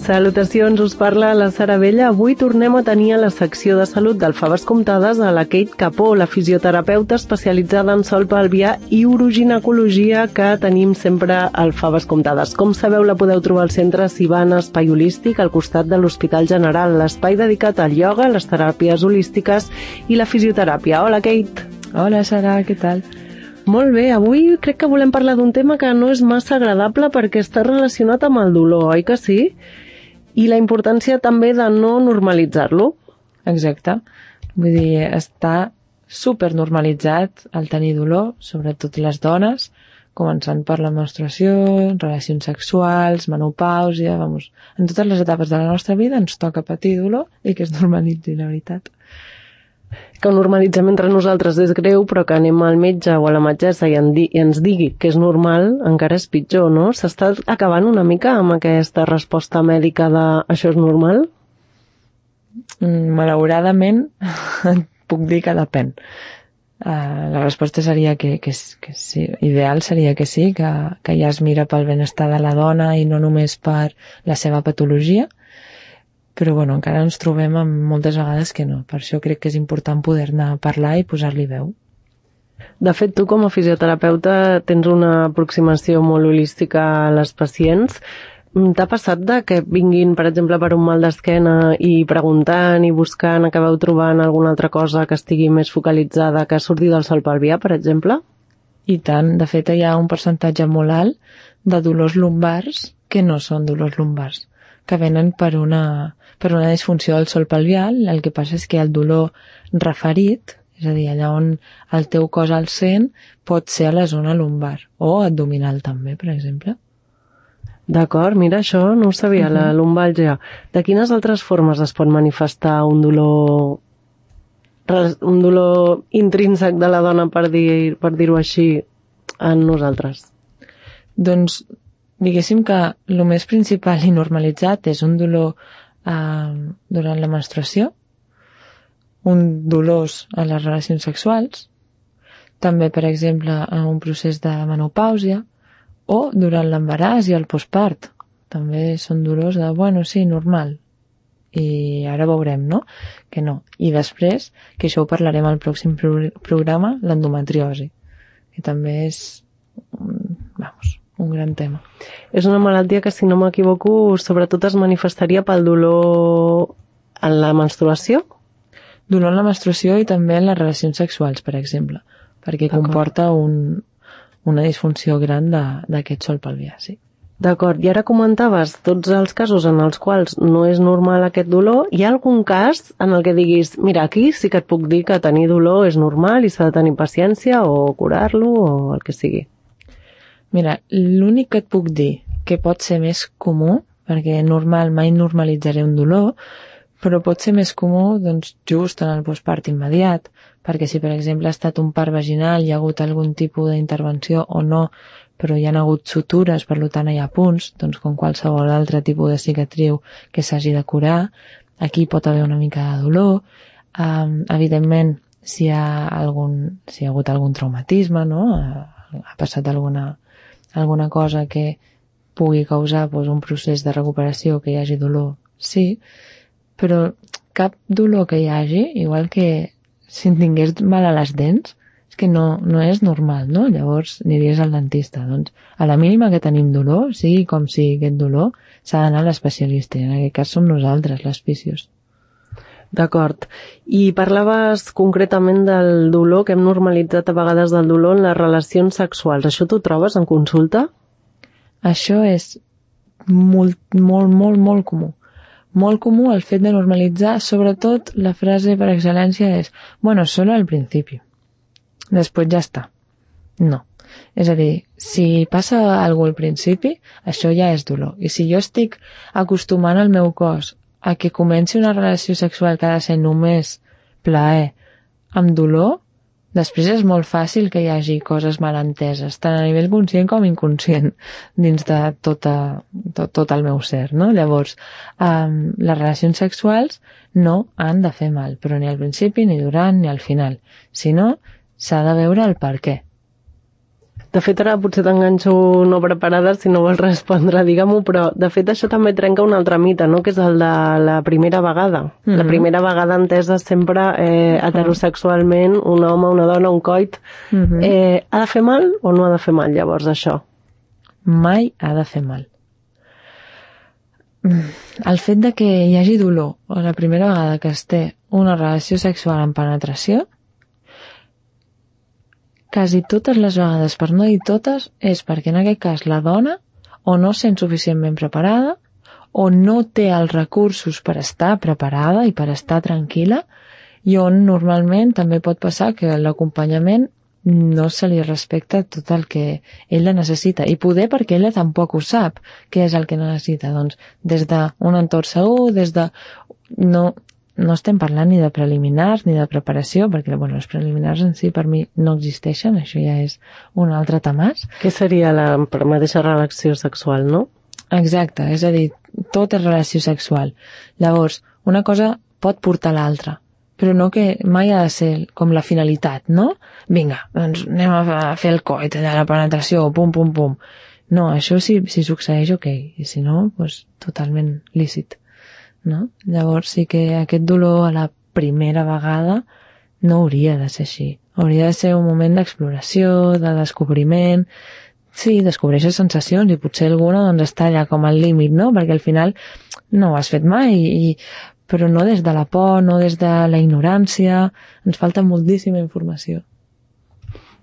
Salutacions, us parla la Sara Vella. Avui tornem a tenir a la secció de salut del Faves Comptades a la Kate Capó, la fisioterapeuta especialitzada en sol pelvià i uroginecologia que tenim sempre al Faves Comptades. Com sabeu, la podeu trobar al centre Sivana Espai Holístic al costat de l'Hospital General, l'espai dedicat al ioga, les teràpies holístiques i la fisioteràpia. Hola, Kate. Hola, Sara, què tal? Molt bé, avui crec que volem parlar d'un tema que no és massa agradable perquè està relacionat amb el dolor, oi que sí? I la importància també de no normalitzar-lo. Exacte. Vull dir, està supernormalitzat el tenir dolor, sobretot les dones, començant per la menstruació, relacions sexuals, menopàusia, en totes les etapes de la nostra vida ens toca patir dolor i que es normalitzi, la veritat. Que ho normalitzem entre nosaltres és greu, però que anem al metge o a la metgessa i ens digui que és normal, encara és pitjor, no? S'està acabant una mica amb aquesta resposta mèdica de això és normal? Malauradament, puc dir que depèn. La resposta seria que sí, ideal seria que sí, que ja es mira pel benestar de la dona i no només per la seva patologia, però bueno, encara ens trobem amb moltes vegades que no. Per això crec que és important poder-ne parlar i posar-li veu. De fet, tu com a fisioterapeuta tens una aproximació molt holística a les pacients. T'ha passat de que vinguin, per exemple, per un mal d'esquena i preguntant i buscant, acabeu trobant alguna altra cosa que estigui més focalitzada, que surti del sol pelvià, per exemple? I tant. De fet, hi ha un percentatge molt alt de dolors lumbars que no són dolors lumbars, que venen per una disfunció del sol pelvià. El que passa és que el dolor referit, és a dir, allà on el teu cos el sent, pot ser a la zona lumbar o abdominal també, per exemple. D'acord, mira, això no ho sabia, la lumbàlgia. De quines altres formes es pot manifestar un dolor intrínsec de la dona, per dir-ho així, en nosaltres? Doncs diguéssim que el més principal i normalitzat és un dolor durant la menstruació, un dolors a les relacions sexuals, també, per exemple, en un procés de menopàusia o durant l'embaràs i el postpart. També són dolors de, bueno, sí, normal. I ara veurem, no? Que no. I després, que això ho parlarem al pròxim programa, l'endometriosi, que també és, un gran tema. És una malaltia que, si no m'equivoco, sobretot es manifestaria pel dolor en la menstruació? Dolor en la menstruació i també en les relacions sexuals, per exemple, perquè comporta una disfunció gran d'aquest sol pelvià, sí. D'acord, i ara comentaves tots els casos en els quals no és normal aquest dolor. Hi ha algun cas en el que diguis, mira, aquí sí que et puc dir que tenir dolor és normal i s'ha de tenir paciència o curar-lo o el que sigui? Mira, l'únic que et puc dir que pot ser més comú, perquè normal mai normalitzaré un dolor, però pot ser més comú doncs, just en el postpart immediat, perquè si per exemple ha estat un part vaginal, hi ha hagut algun tipus d'intervenció o no, però hi ha hagut sutures, per tant hi ha punts, doncs com qualsevol altre tipus de cicatriu que s'hagi de curar, aquí pot haver una mica de dolor. Evidentment, si hi ha hagut algun traumatisme, no? Ha passat alguna cosa que pugui causar un procés de recuperació, que hi hagi dolor, sí, però cap dolor que hi hagi, igual que si en tingués mal a les dents, és que no és normal, no? Llavors aniries al dentista. Doncs a la mínima que tenim dolor, sigui com sigui aquest dolor, s'ha d'anar a l'especialista, i en aquest cas som nosaltres, les fisios. D'acord. I parlaves concretament del dolor, que hem normalitzat a vegades del dolor en les relacions sexuals. Això t'ho trobes en consulta? Això és molt, molt, molt, molt comú. Molt comú el fet de normalitzar, sobretot la frase per excel·lència és bueno, solo al principi. Després ja està. No. És a dir, si passa alguna cosa al principi, això ja és dolor. I si jo estic acostumant el meu cos a que comenci una relació sexual que ha de ser només plaer amb dolor, després és molt fàcil que hi hagi coses malenteses, tant a nivell conscient com inconscient, dins de tot el meu ser, no? Llavors, les relacions sexuals no han de fer mal, però ni al principi, ni durant, ni al final. Si no, s'ha de veure el per què. De fet, ara potser t'enganxo no preparada si no vols respondre, digue-m'ho, però de fet això també trenca un altre mite, no?, que és el de la primera vegada. La primera vegada entesa sempre heterosexualment, un home, una dona, un coit. Ha de fer mal o no ha de fer mal, llavors, això? Mai ha de fer mal. El fet de que hi hagi dolor o la primera vegada que es té una relació sexual amb penetració, quasi totes les vegades, per no dir totes, és perquè en aquest cas la dona o no sent suficientment preparada o no té els recursos per estar preparada i per estar tranquil·la, i on normalment també pot passar que l'acompanyament no se li respecta tot el que ella necessita, i poder perquè ella tampoc ho sap què és el que necessita. Doncs des d'un entorn segur, des de... No estem parlant ni de preliminars ni de preparació, perquè els preliminars en si per mi no existeixen, això ja és un altre tamàs. Què seria la mateixa relació sexual, no? Exacte, és a dir, tot és relació sexual. Llavors, una cosa pot portar l'altra, però no que mai ha de ser com la finalitat, no? Vinga, doncs anem a fer el coit, allà la penetració, pum, pum, pum. No, això si succeeix, ok, i si no, doncs totalment lícit, no? Llavors sí que aquest dolor a la primera vegada no hauria de ser així. Hauria de ser un moment d'exploració, de descobriment. Sí, descobreixes sensacions i potser alguna doncs està allà com al límit, no? Perquè al final no ho has fet mai, però no des de la por, no des de la ignorància. Ens falta moltíssima informació.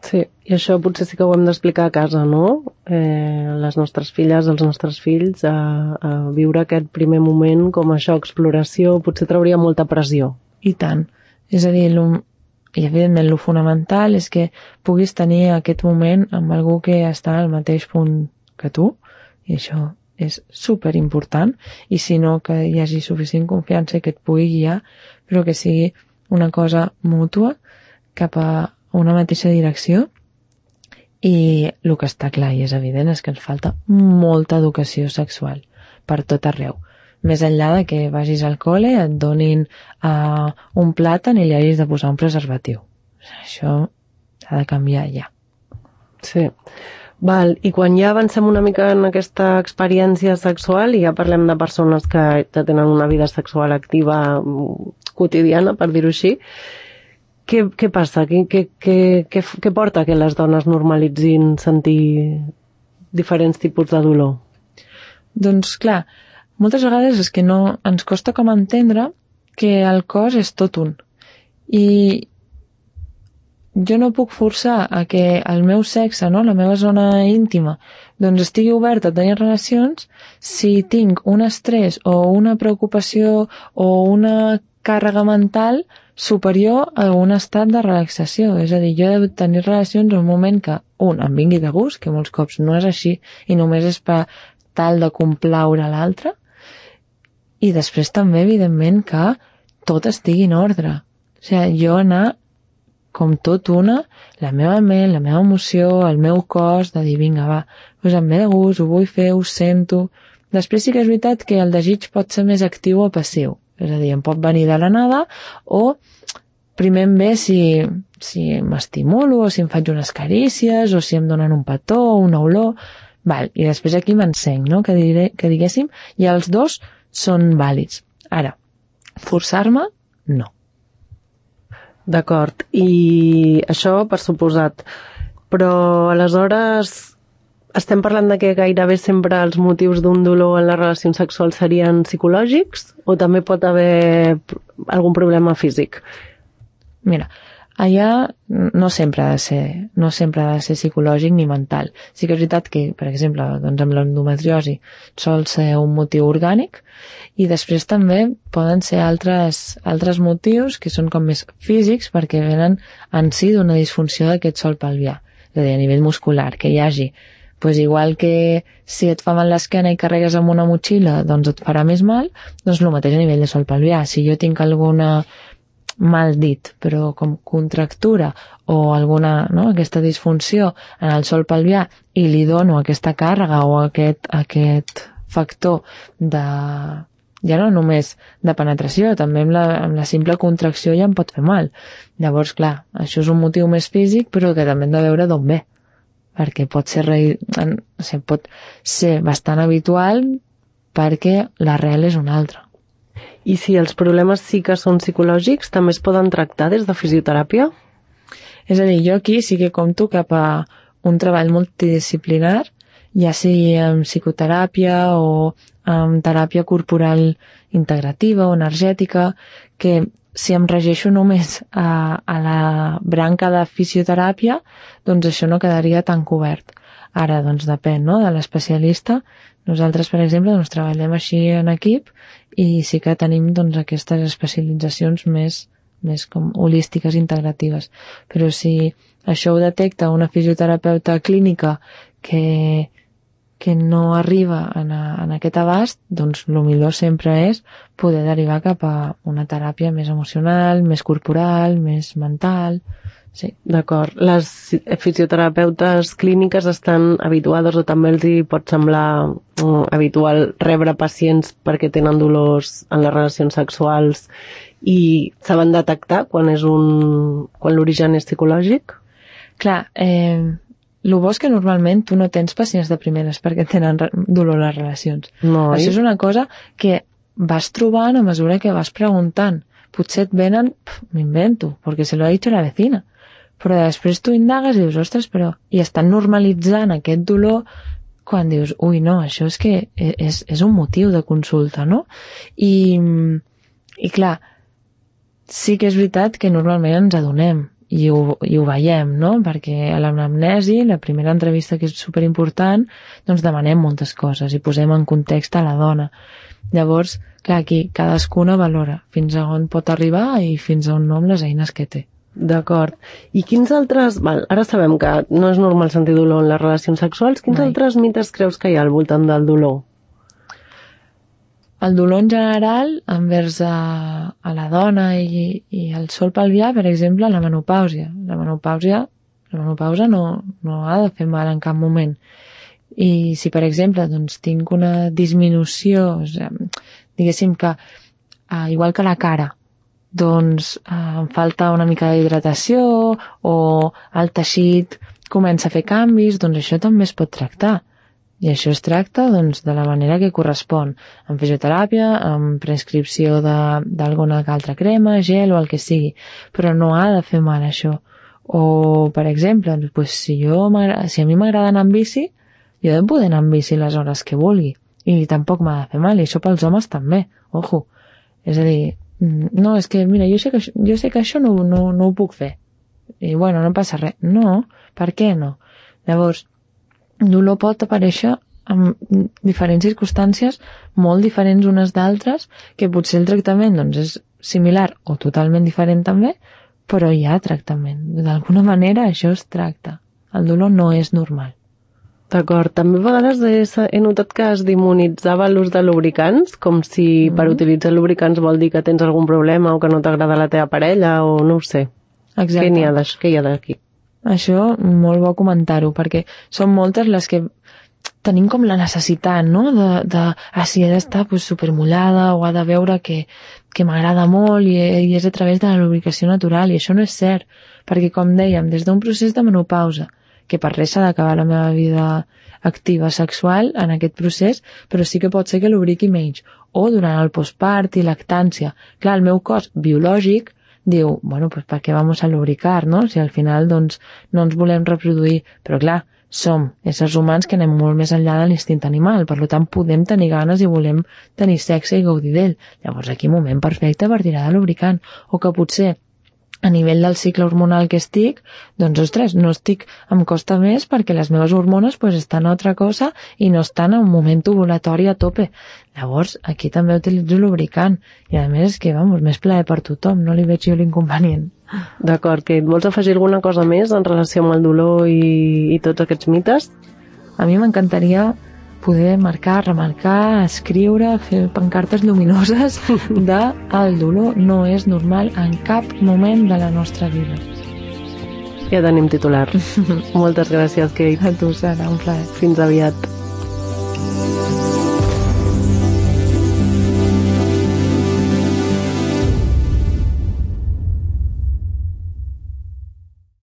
Sí, i això potser sí que ho hem d'explicar a casa, no? Les nostres filles, els nostres fills, a viure aquest primer moment com això, exploració, potser trauria molta pressió. I tant. És a dir, i evidentment el fonamental és que puguis tenir aquest moment amb algú que està al mateix punt que tu, i això és superimportant, i si no, que hi hagi suficient confiança i que et pugui guiar, però que sigui una cosa mútua cap a una mateixa direcció. I el que està clar i és evident és que ens falta molta educació sexual per tot arreu. Més enllà de que vagis al col·le, et donin un plàtan i li hagis de posar un preservatiu. Això ha de canviar ja. Sí. Val, i quan ja avancem una mica en aquesta experiència sexual i ja parlem de persones que ja tenen una vida sexual activa quotidiana, per dir-ho així, què passa? Què porta que les dones normalitzin sentir diferents tipus de dolor? Doncs clar, moltes vegades és que no ens costa com entendre que el cos és tot un. I jo no puc forçar a que el meu sexe, no, la meva zona íntima, doncs estigui oberta a tenir relacions si tinc un estrès o una preocupació o una càrrega mental superior a un estat de relaxació. És a dir, jo he de tenir relacions en un moment que, em vingui de gust, que molts cops no és així i només és per tal de complaure l'altre, i després també, evidentment, que tot estigui en ordre. O sigui, jo anar com tot una, la meva ment, la meva emoció, el meu cos, de dir, vinga, va, doncs em ve de gust, ho vull fer, ho sento. Després sí que és veritat que el desig pot ser més actiu o passiu. És a dir, em pot venir de la nada, o primer em ve si m'estimulo, o si em faig unes carícies, o si em donen un petó o una olor. Val, i després aquí m'encenc, no?, que diguéssim, i els dos són vàlids. Ara, forçar-me, no. D'acord, i això per suposat. Però aleshores estem parlant de que gairebé sempre els motius d'un dolor en les relacions sexuals serien psicològics o també pot haver algun problema físic? Mira, allà no sempre ha de ser psicològic ni mental. Sí que és veritat que, per exemple, doncs amb l'endometriosi sol ser un motiu orgànic, i després també poden ser altres motius que són com més físics perquè venen en si d'una disfunció d'aquest sòl pelvià, és a dir, a nivell muscular, que hi hagi. Pues igual que si et fa mal l'esquena i carregues amb una motxilla, doncs et farà més mal, doncs el mateix a nivell de sòl pelvià. Si jo tinc alguna mal dit, però com contractura o alguna, no, aquesta disfunció en el sòl pelvià i li dono aquesta càrrega o aquest factor de, ja no només de penetració, també amb la simple contracció ja em pot fer mal. Llavors, clar, això és un motiu més físic, però que també hem de veure d'on ve. perquè pot ser bastant habitual perquè l'arrel és una altra. I si els problemes sí que són psicològics, també es poden tractar des de fisioteràpia? És a dir, jo aquí sí que compto cap a un treball multidisciplinar, ja sigui amb psicoteràpia o amb teràpia corporal integrativa o energètica, que si em regeixo només a la branca de fisioteràpia, doncs això no quedaria tan cobert. Ara, doncs depèn, no?, de l'especialista. Nosaltres, per exemple, doncs treballem així en equip i sí que tenim doncs aquestes especialitzacions més com holístiques, integratives. Però si això ho detecta una fisioterapeuta clínica que no arriba en aquest abast, doncs el millor sempre és poder derivar cap a una teràpia més emocional, més corporal, més mental. Sí. D'acord. Les fisioterapeutes clíniques estan habituades o també els hi pot semblar habitual rebre pacients perquè tenen dolors en les relacions sexuals i saben detectar quan l'origen és psicològic? Clar, el bo és que normalment tu no tens pacients de primeres perquè tenen dolor a les relacions. No, això és una cosa que vas trobant a mesura que vas preguntant. Potser et venen, m'invento, perquè se lo ha dicho la vecina. Però després tu indagues i dius, ostres, però... I estan normalitzant aquest dolor quan dius, ui, no, això és que és un motiu de consulta, no? I clar, sí que és veritat que normalment ens adonem i ho veiem, no? Perquè a l'anamnesi, la primera entrevista que és superimportant, doncs demanem moltes coses i posem en context a la dona. Llavors, clar, aquí cadascuna valora fins a on pot arribar i fins a on no amb les eines que té. D'acord. I quins altres... Ara sabem que no és normal sentir dolor en les relacions sexuals. Quins altres mites creus que hi ha al voltant del dolor? El dolor en general envers a la dona i el sol pelvià, per exemple, la menopàusia. La menopausa no ha de fer mal en cap moment. I si, per exemple, doncs, tinc una disminució, diguéssim que, igual que la cara, doncs em falta una mica d'hidratació o el teixit comença a fer canvis, doncs això també es pot tractar. I això es tracta doncs, de la manera que correspon, amb fisioteràpia, amb prescripció d'alguna altra crema, gel o el que sigui, però no ha de fer mal això. O, per exemple, doncs, si a mi m'agrada anar amb bici, jo he de poder anar amb bici les hores que vulgui, i tampoc m'ha de fer mal, i això pels homes també, ojo. És a dir, no, és que, mira, jo sé que això no ho puc fer, i bueno, no passa res. No, per què no? Llavors, dolor pot aparèixer en diferents circumstàncies molt diferents unes d'altres, que potser el tractament doncs, és similar o totalment diferent també, però hi ha tractament. D'alguna manera això es tracta. El dolor no és normal. D'acord. També a vegades he notat que es demonitzava l'ús de lubricants, com si per utilitzar lubricants vol dir que tens algun problema o que no t'agrada la teva parella o no ho sé. Exacte. Què hi ha d'aquí? Això, molt bo comentar-ho, perquè són moltes les que tenim com la necessitat, no?, si he d'estar supermullada o ha de veure que m'agrada molt i és a través de la lubricació natural, i això no és cert, perquè, com dèiem, des d'un procés de menopausa, que per res s'ha d'acabar la meva vida activa sexual en aquest procés, però sí que pot ser que lubriqui menys, o durant el postpart i lactància. Clar, el meu cos biològic diu, bueno, pues ¿para qué vamos a lubricar, no? Si al final, doncs, no ens volem reproduir. Però clar, som éssers humans que anem molt més enllà de l'instint animal, per tant podem tenir ganes i volem tenir sexe i gaudir d'ell. Llavors aquí moment perfecte per tirar de lubricant. O que potser a nivell del cicle hormonal que estic, doncs, ostres, no estic, em costa més perquè les meves hormones estan a altra cosa i no estan en un moment ovulatori a tope. Llavors, aquí també utilitzo lubricant. I a més, que, més plaer per tothom, no li veig jo l'inconvenient. D'acord, que vols afegir alguna cosa més en relació amb el dolor i tots aquests mites? A mi m'encantaria poder marcar, remarcar, escriure, fer pancartes lluminoses de el dolor no és normal en cap moment de la nostra vida. Ja tenim titular. Moltes gràcies, Kate. A tu, Sara, un plaer. Fins aviat.